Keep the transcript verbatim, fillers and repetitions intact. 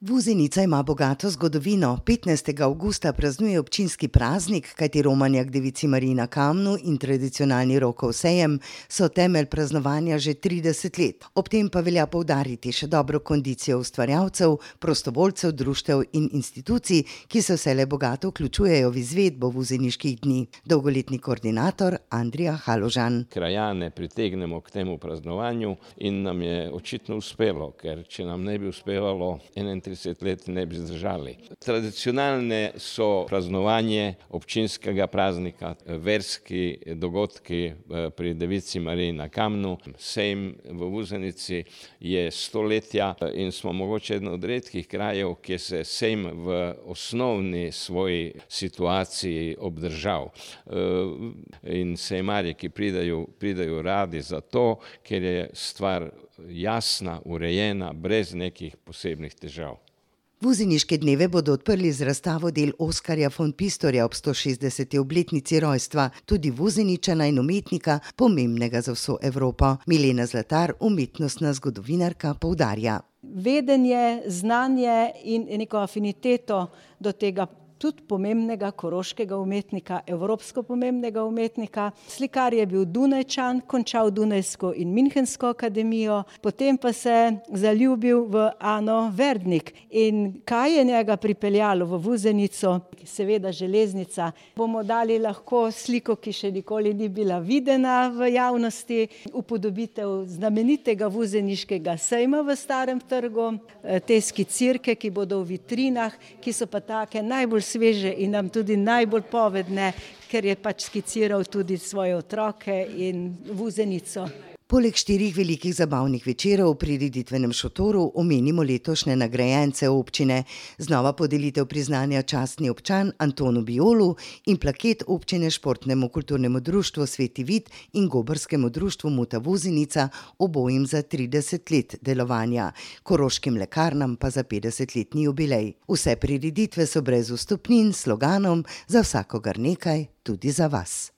Vuzenica ima bogato zgodovino. petnajstega avgusta praznuje občinski praznik, kajti romanja k devici Mariji na Kamnu in tradicionalni Rokov sejem so temelj praznovanja že trideset let. Ob tem pa velja poudariti še dobro kondicijo ustvarjalcev, prostovoljcev, društev in institucij, ki se vselej bogato vključujejo v izvedbo vuzeniških dni. Dolgoletni koordinator Andrija Haložan. Krajane pritegnemo k temu praznovanju in nam je očitno uspelo, ker če nam ne bi uspevalo enaintrideset let ne bi zdržali. Tradicionalne so praznovanje občinskega praznika, verski dogodki pri devici Mariji na Kamnu. Sejem v Vuzenici je stoletja in smo mogoče eden od redkih krajev, kjer se sejem v osnovni svoji situaciji obdržal. In sejemarji, ki pridejo, pridejo radi zato, ker je stvar jasna, urejena, brez nekih posebnih težav. Vuzeniške dneve bodo odprli z razstavo del Oskarja von Pistorja ob stošestdeseti obletnici rojstva, tudi Vuzeničana in umetnika, pomembnega za vso Evropo. Milena Zlatar, umetnostna zgodovinarka, poudarja. Vedenje, znanje in neko afiniteto do tega tudi pomembnega koroškega umetnika, evropsko pomembnega umetnika. Slikar je bil Dunajčan, končal Dunajsko in Münchensko akademijo, potem pa se zaljubil v Ano Verdnik. In kaj je njega pripeljalo v Vuzenico? Seveda železnica. Bomo dali lahko sliko, ki še nikoli ni bila videna v javnosti, upodobitev znamenitega vuzeniškega sejma v Starem trgu, te skicirke, ki bodo v vitrinah, ki so pa take najbolj sveže in nam tudi najbolj povedne, ker je pač skiciral tudi svoje otroke in Vuzenico. Poleg štirih velikih zabavnih večerov v prireditvenem šotoru omenimo letošnje nagrajence občine. Znova podelitev priznanja častni občan Antonu Bijolu in plaket občine Športnemu kulturnemu društvu Sveti Vid in Gobarskemu društvu Muta Vuzenica, obojim za trideset let delovanja, Koroškim lekarnam pa za petdesetletni jubilej. Vse prireditve so brez vstopnin s sloganom Za vsakogar nekaj, tudi za vas.